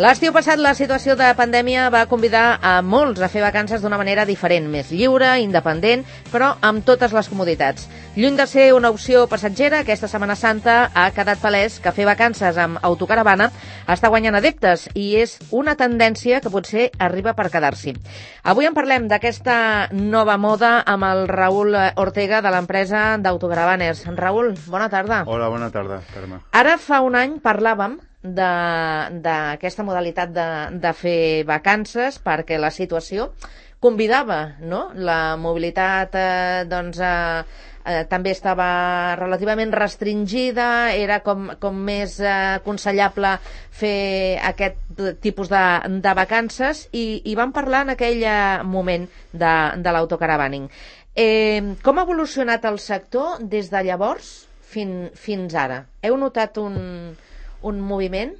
L'estiu passat la situació de pandèmia va convidar a molts a fer vacances d'una manera diferent, més lliure, independent, però amb totes les comoditats. Lluny de ser una opció passatgera, aquesta Setmana Santa ha quedat palès que fer vacances amb autocaravana està guanyant adeptes i és una tendència que potser arriba per quedar-s'hi. Avui en parlem d'aquesta nova moda amb el Raül Ortega de l'empresa d'Autocaravanes. Raül, bona tarda. Hola, bona tarda, Carme. Ara fa un any parlàvem d'aquesta modalitat de fer vacances perquè la situació convidava, no? La mobilitat també estava relativament restringida, era com més aconsellable fer aquest tipus de vacances i vam parlar en aquell moment de l'autocaravaning. Com ha evolucionat el sector des de llavors fins ara? Heu notat un moviment?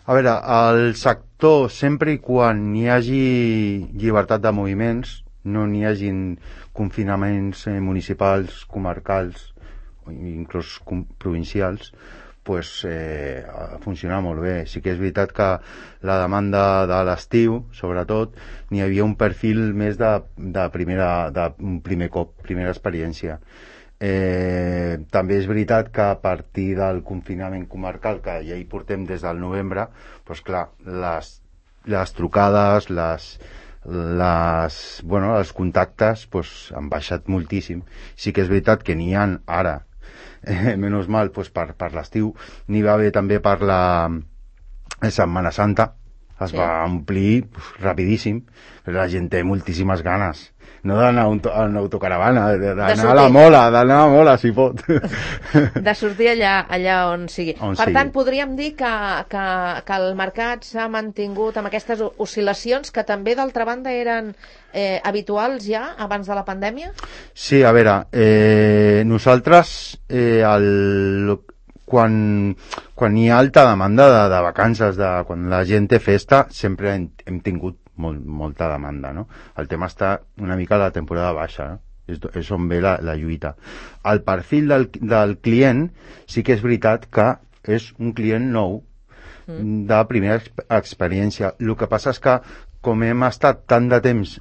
A veure, el sector, sempre i quan hi hagi llibertat de moviments, no n'hi hagin confinaments municipals, comarcals o inclús provincials, pues, funciona molt bé. Sí que és veritat que la demanda de l'estiu, sobretot, n'hi havia un perfil més de primer cop, primera experiència. També és veritat que a partir del confinament comarcal, que ja hi portem des del novembre, doncs clar, les trucades, els contactes han baixat moltíssim. Sí que és veritat que n'hi ha ara, menys mal, per l'estiu. N'hi va haver també per la Setmana Santa, es va omplir rapidíssim, però la gent té moltíssimes ganes. No d'anar a una autocaravana, d'anar a la mola, si pot. De sortir allà on sigui. Per tant, podríem dir que el mercat s'ha mantingut amb aquestes oscil·lacions que també, d'altra banda, eren habituals ja abans de la pandèmia? Sí, a veure, nosaltres, quan hi ha alta demanda de vacances, quan la gent té festa, sempre hem tingut molta demanda, no? El tema està una mica a la temporada baixa, no? És on ve la lluita. El perfil del client sí que és veritat que és un client nou, de primera experiència. El que passa és que, com hem estat tant de temps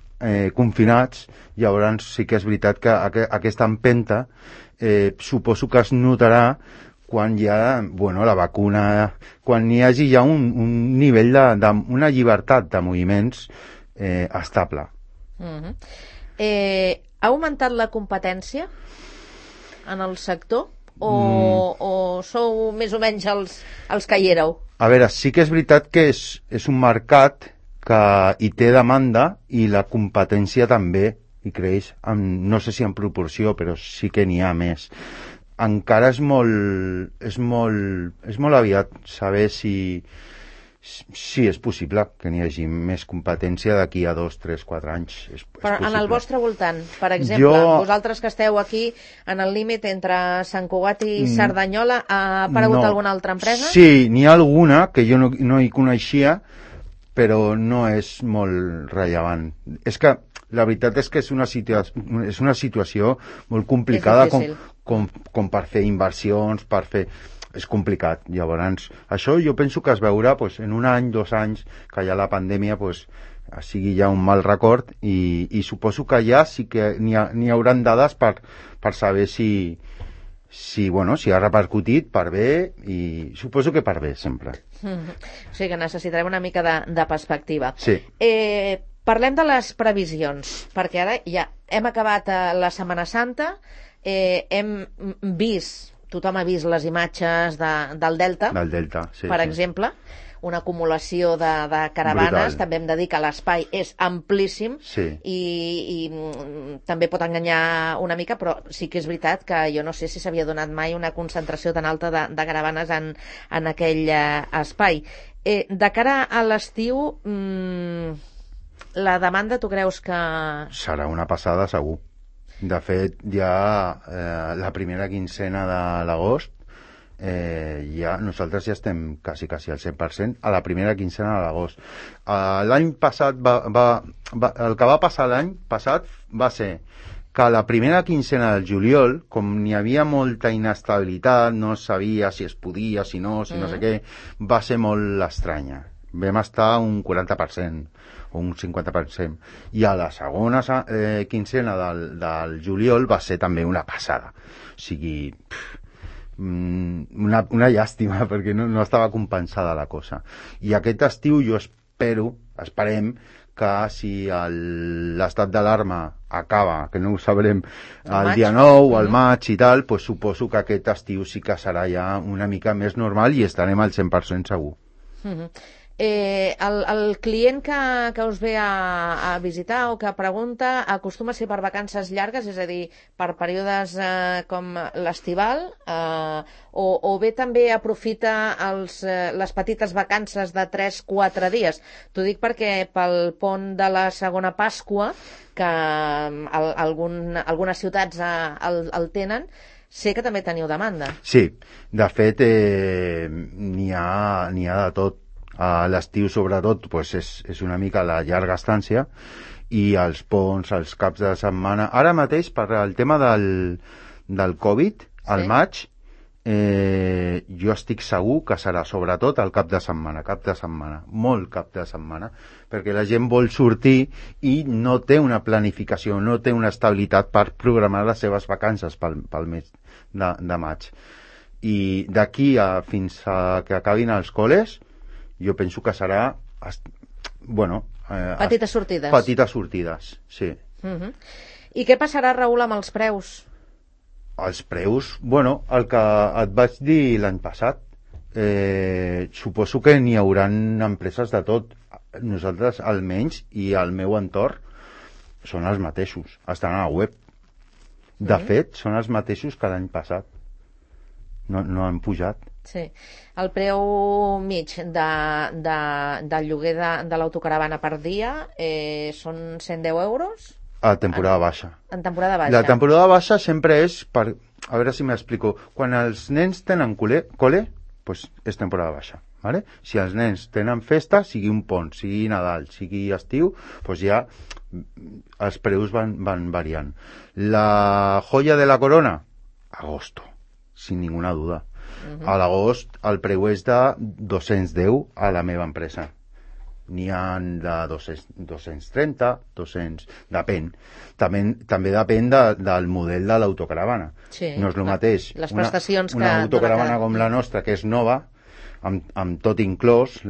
confinats, llavors sí que és veritat que aquesta empenta suposo que es notarà quan hi ha la vacuna, quan hi hagi ja un nivell una llibertat de moviments estable. Ha augmentat la competència en el sector o sou més o menys els que hi éreu? A veure, sí que és veritat que és un mercat que hi té demanda i la competència també hi creix, no sé si en proporció, però sí que n'hi ha més. Encara és molt aviat saber si és possible que n'hi hagi més competència d'aquí a 2, 3, 4 anys. Però en el vostre voltant, per exemple, vosaltres que esteu aquí en el límit entre Sant Cugat i Cerdanyola, ha aparegut alguna altra empresa? Sí, n'hi ha alguna que jo no hi coneixia, però no és molt rellevant. És que la veritat és que és una situació molt complicada com per fer inversions, per fer... És complicat. Llavors, això jo penso que es veurà en un any, 2 anys, que ja la pandèmia sigui ja un mal record i suposo que ja sí que n'hi hauran dades per saber si ha repercutit per bé, i suposo que per bé sempre. O sigui que necessitarem una mica de perspectiva. Sí. Parlem de les previsions, perquè ara ja hem acabat la Setmana Santa, tothom ha vist les imatges del Delta, per exemple, una acumulació de caravanes. Brutal. També hem de dir que l'espai és amplíssim i també pot enganyar una mica, però sí que és veritat que jo no sé si s'havia donat mai una concentració tan alta de caravanes en aquell espai. De cara a l'estiu, la demanda, tu creus que... Serà una passada, segur. De fet, ja la primera quincena de l'agost, nosaltres ja estem quasi al 100% a la primera quincena de l'agost. L'any passat, el que va passar l'any passat va ser que la primera quincena del juliol, com n'hi havia molta inestabilitat, no sabia si es podia, si no sé què, va ser molt estranya. Vam estar un 40% o un 50%. I a la segona quincena del juliol va ser també una passada. O sigui, una llàstima, perquè no estava compensada la cosa. I aquest estiu jo esperem que si l'estat d'alarma acaba, que no ho sabrem el dia 9 o al maig i tal, pues suposo que aquest estiu sí que serà ja una mica més normal i estarem al 100% segur. El client que us ve a visitar o que pregunta acostuma a ser per vacances llargues, és a dir, per períodes com l'estival, o bé també aprofita les petites vacances de 3-4 dies. T'ho dic perquè pel pont de la segona Pasqua, que algunes ciutats el tenen, sé que també teniu demanda. Sí, de fet n'hi ha de tot. A l'estiu, sobretot, pues és una mica la llarga estància i els ponts, els caps de setmana. Ara mateix, per el tema del Covid, al maig, jo estic segur que serà sobretot el cap de setmana, molt cap de setmana, perquè la gent vol sortir i no té una planificació, no té una estabilitat per programar les seves vacances pel mes de maig. I d'aquí fins a que acabin els col·les, jo penso que serà petites sortides. Petites sortides, sí. I què passarà, Raül, amb els preus? Els preus, el que et vaig dir l'any passat, suposo que n'hi haurà empreses de tot. Nosaltres, almenys, i el meu entorn, són els mateixos, estan a la web. De fet, són els mateixos que l'any passat. No han pujat. Sí. El preu mig del lloguer de l'autocaravana per dia són 110 euros? A temporada baixa. En temporada baixa. La temporada baixa sempre és per... A veure si m'explico. Quan els nens tenen col·le, pues és temporada baixa. ¿Vale? Si els nens tenen festa, sigui un pont, sigui Nadal, sigui estiu, pues ja els preus van variant. La joia de la corona? Agosto, sin ninguna duda. A l'agost el preu és de 210 a la meva empresa. N'hi ha de 230, 200... Depèn. També depèn del model de l'autocaravana. Sí, no és el mateix les prestacions una autocaravana com la nostra, que és nova, amb tot inclòs,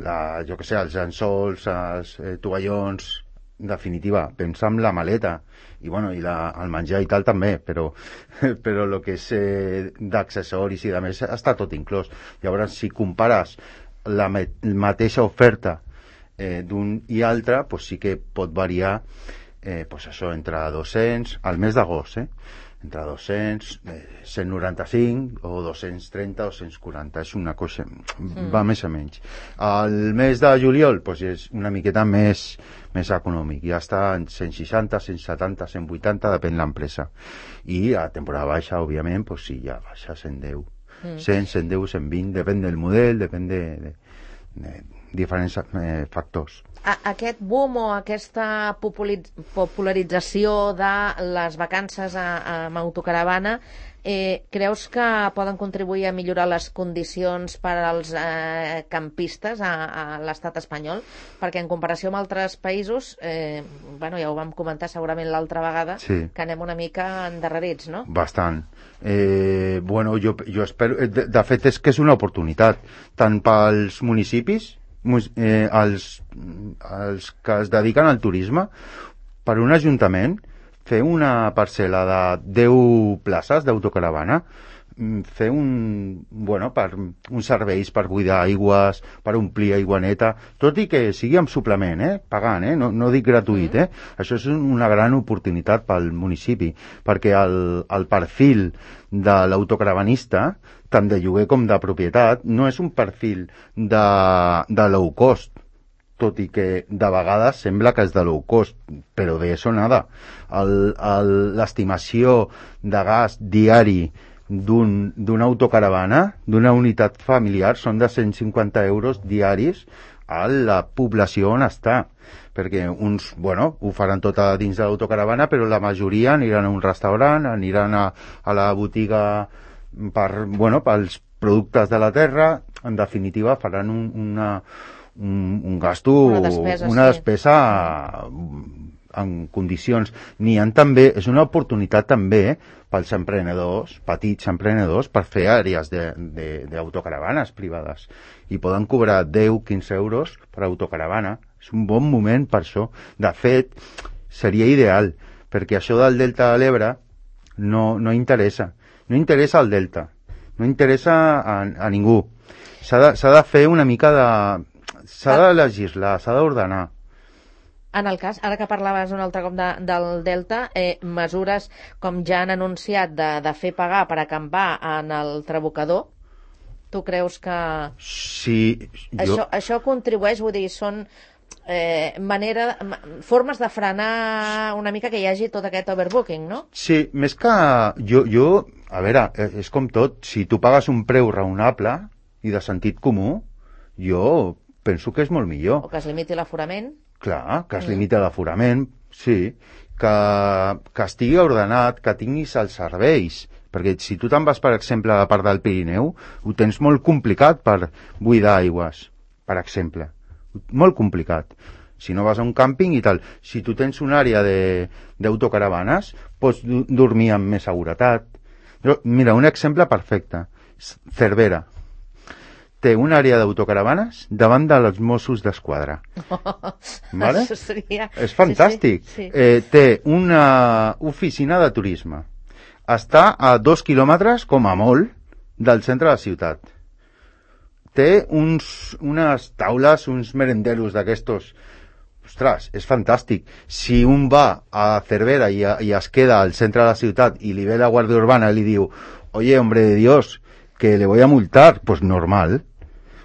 jo que sé, els llençols, els tovallons, en definitiva, pensa en la maleta i el menjar i tal també, però el que és d'accessoris i de més està tot inclòs. Llavors, si compares la mateixa oferta d'un i altre, pues sí que pot variar entre 200 al mes d'agost, entre 200, 195 o 230 o 140, és una cosa, va més o menys. El mes de juliol és una miqueta més econòmic, ja està en 160, 170, 180, depèn l'empresa. I a temporada baixa, òbviament, sí, ja baixa 110. 100, 110, 120, depèn del model, depèn de diferents factors. Aquest boom o aquesta popularització de les vacances amb autocaravana, creus que poden contribuir a millorar les condicions per als campistes a l'estat espanyol? Perquè en comparació amb altres països, ja ho vam comentar segurament l'altra vegada, sí, que anem una mica endarrerits, no? Bastant. Jo espero... De fet, és que és una oportunitat, tant pels municipis, els que es dediquen al turisme, per un ajuntament fer una parcel·la de 10 places d'autocaravana, fer uns serveis per buidar aigües, per omplir aigua neta, tot i que sigui amb suplement, pagant, no dic gratuït, Això és una gran oportunitat pel municipi, perquè el perfil de l'autocaravanista, tant de lloguer com de propietat, no és un perfil de low cost, tot i que de vegades sembla que és de low cost, però de eso nada. L'estimació de gas diari d'una autocaravana, d'una unitat familiar, són de 150 euros diaris a la població on està, perquè uns, ho faran tot a dins de l'autocaravana, però la majoria aniran a un restaurant, aniran a la botiga pels productes de la terra, en definitiva faran un gasto, una despesa en condicions. N'hi ha també, és una oportunitat també pels emprenedors, petits emprenedors, per fer àrees d'autocaravanes privades. I poden cobrar 10-15 euros per autocaravana. És un bon moment per això. De fet, seria ideal, perquè això del Delta de l'Ebre no interessa. No interessa al Delta. No interessa a ningú. S'ha de fer una mica de... S'ha de legislar, s'ha d'ordenar. En el cas, ara que parlaves un altre cop del Delta, mesures com ja han anunciat de fer pagar per acampar en el Trabucador, tu creus que... Sí, això contribueix, vull dir, són formes de frenar una mica que hi hagi tot aquest overbooking, no? Sí, més que... Jo, a veure, és com tot, si tu pagues un preu raonable i de sentit comú, jo penso que és molt millor. O que es limiti l'aforament. Clar, que es limiti l'aforament, sí, que estigui ordenat, que tinguis els serveis, perquè si tu te'n vas, per exemple, a la part del Pirineu, ho tens molt complicat per buidar aigües, per exemple. Molt complicat. Si no vas a un càmping i tal. Si tu tens una àrea d'autocaravanes, pots dormir amb més seguretat. Mira, un exemple perfecte. Cervera. Té una àrea d'autocaravanes davant dels Mossos d'Esquadra. Vale? Això seria... És fantàstic. Sí. Té una oficina de turisme. Està a 2 quilòmetres, com a molt, del centre de la ciutat. Té unes taules, uns merenderos d'aquestos. Ostres, és fantàstic. Si un va a Cervera i es queda al centre de la ciutat i li ve la Guàrdia Urbana i li diu, oye, hombre de Dios, que le voy a multar, pues normal.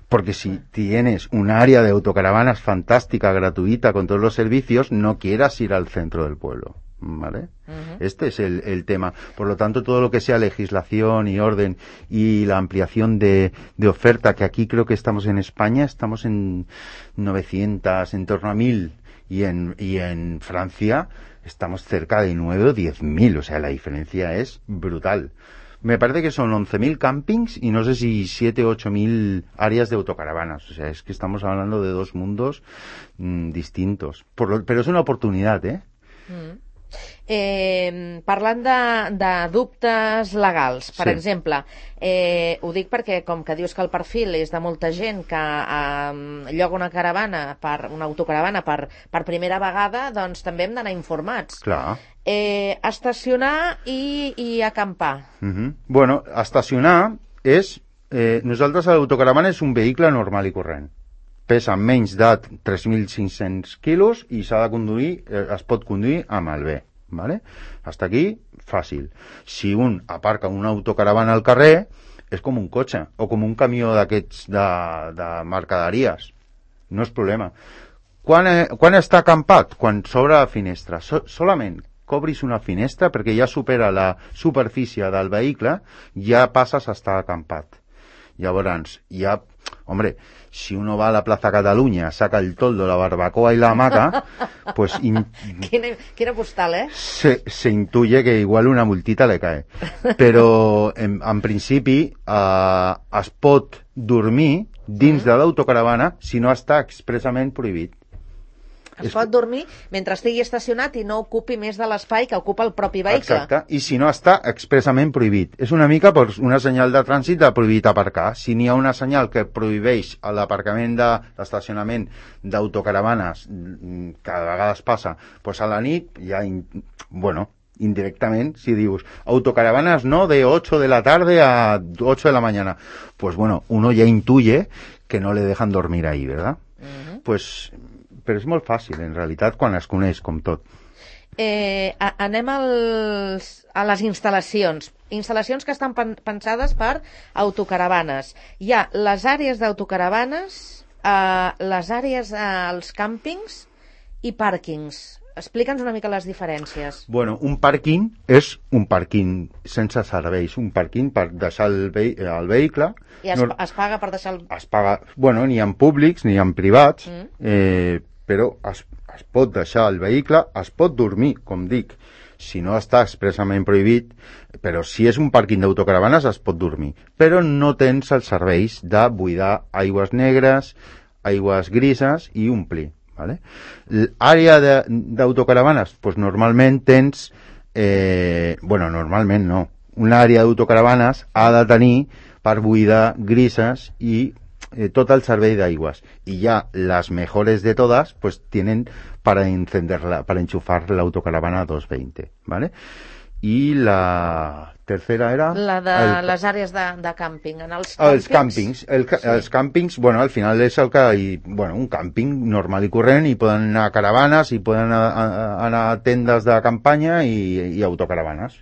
Porque si tienes un área de autocaravanas fantástica, gratuita, con todos los servicios, no quieras ir al centro del pueblo. ¿Vale? Uh-huh. Este es el tema. Por lo tanto, todo lo que sea legislación y orden y la ampliación de oferta, que aquí creo que estamos en España, estamos en 900, en torno a 1000, y en Francia estamos cerca de 9 o 10.000. O sea, la diferencia es brutal. Me parece que son 11.000 campings y no sé si 7 o 8.000 áreas de autocaravanas. O sea, es que estamos hablando de dos mundos distintos. Pero es una oportunidad, ¿eh? Mm. Parlant de dubtes legals, per exemple, ho dic perquè com que dius que el perfil és de molta gent que lloga una autocaravana per primera vegada, doncs també hem d'anar informats. Clar. Estacionar i acampar. Bueno, estacionar és... nosaltres l'autocaravana és un vehicle normal i corrent. Pesa menys de 3.500 quilos i s'ha de conduir, es pot conduir amb el B. ¿Vale? Hasta aquí, fàcil. Si un aparca una autocaravana al carrer, és com un cotxe o com un camió d'aquests de mercaderies. No és problema. Quan està acampat? Quan s'obre la finestra. Solament cobris una finestra perquè ja supera la superfície del vehicle, ja passes a estar acampat. Llavors, ja... Hombre, si uno va a la Plaza Cataluña, saca el toldo, la barbacoa y la hamaca, pues... Quina postal, ¿eh? Se intuye que igual una multita le cae. Però, en principi, es pot dormir dins de l'autocaravana si no està expressament prohibit. Es pot dormir mentre estigui estacionat i no ocupi més de l'espai que ocupa el propi vehicle. Exacte, i si no està expressament prohibit. És una mica una senyal de trànsit de prohibit aparcar. Si n'hi ha una senyal que prohibeix l'aparcament l'estacionament d'autocaravanes, que a vegades passa, doncs a la nit, ja, bueno, indirectament, si dius autocaravanas no de 8 de la tarde a 8 de la mañana, pues bueno, uno ya intuye que no le dejan dormir ahí, ¿verdad? Pues... Però és molt fàcil, en realitat, quan es coneix, com tot. Anem a les instal·lacions. Instal·lacions que estan pensades per autocaravanes. Hi ha les àrees d'autocaravanes, les àrees als càmpings i pàrquings. Explica'ns una mica les diferències. Bueno, un pàrquing és un pàrquing sense serveis, un pàrquing per deixar el vehicle. I es paga per deixar el... Es paga, bueno, ni en públics ni en privats, però es pot deixar el vehicle, es pot dormir, com dic, si no està expressament prohibit, però si és un pàrquing d'autocaravanes es pot dormir. Però no tens els serveis de buidar aigües negres, aigües grises i omplir. ¿Vale? L'àrea d'autocaravanes, pues normalment tens, normalment no, una àrea d'autocaravanes ha de tenir per buidar grises i tot el servei d'aigües. Y ya las mejores de todas, pues tienen para encenderla, para enchufar la autocaravana 220, ¿vale? Y la tercera era... La de les àrees de càmping. En els càmpings. Els càmpings, bueno, al final és el que... un càmping normal i corrent, i poden anar a caravanes, i poden anar a tendes de campanya i autocaravanes.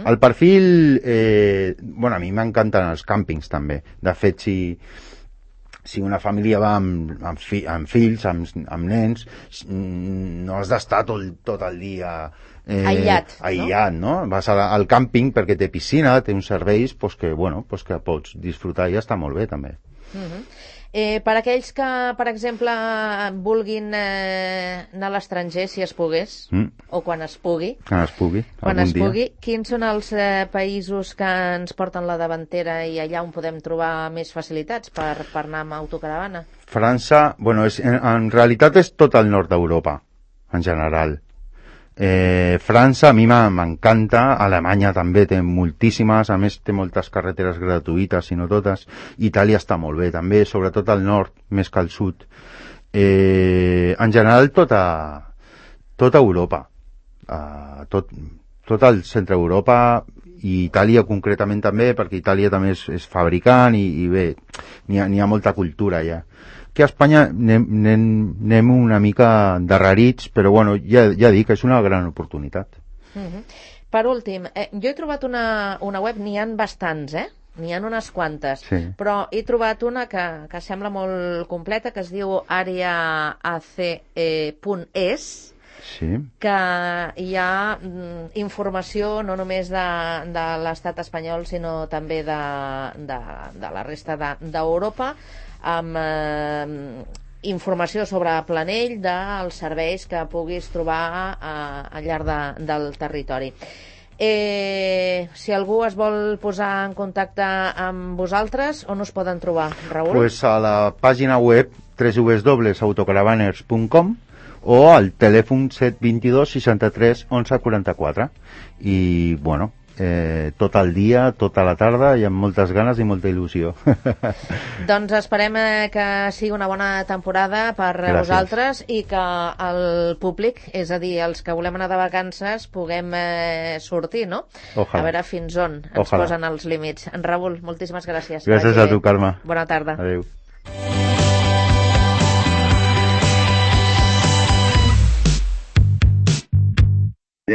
El perfil... a mi m'encanten els càmpings, també. De fet, si una família va amb fills, amb nens, no has d'estar tot el dia aïllat, no? Vas al càmping perquè té piscina, té uns serveis que pots disfrutar i està molt bé, també. Per aquells que, per exemple, vulguin anar a l'estranger, si es pogués, o quan es pugui, quins són els països que ens porten la davantera i allà on podem trobar més facilitats per anar amb autocaravana? França, en realitat és tot el nord d'Europa, en general. França a mi m'encanta, Alemanya també té moltíssimes, a més té moltes carreteres gratuïtes, si no totes. Itàlia està molt bé també, sobretot al nord més que al sud. En general tota Europa, tot el centre d'Europa, i Itàlia concretament també, perquè Itàlia també és fabricant i bé, n'hi ha molta cultura ja. Que a Espanya anem una mica darrerits, però ja dic, és una gran oportunitat. Per últim, jo he trobat una web, n'hi ha bastants, n'hi ha unes quantes, però he trobat una que sembla molt completa, que es diu areaac.es, que hi ha informació no només de l'estat espanyol, sinó també de la resta d'Europa, amb informació sobre Planell dels serveis que puguis trobar al llarg del territori. Si algú es vol posar en contacte amb vosaltres, on us poden trobar, Raül? Pues a la pàgina web www.autocaravanes.com o al telèfon 722 63 11 44. I tot el dia, tota la tarda, i amb moltes ganes i molta il·lusió. Doncs esperem que sigui una bona temporada per vosaltres i que el públic, és a dir, els que volem anar de vacances, puguem sortir, no? Ojalà. A veure fins on ens posen els límits. En Raül, moltíssimes gràcies. Gràcies a tu, Carme. Bona tarda. Adéu.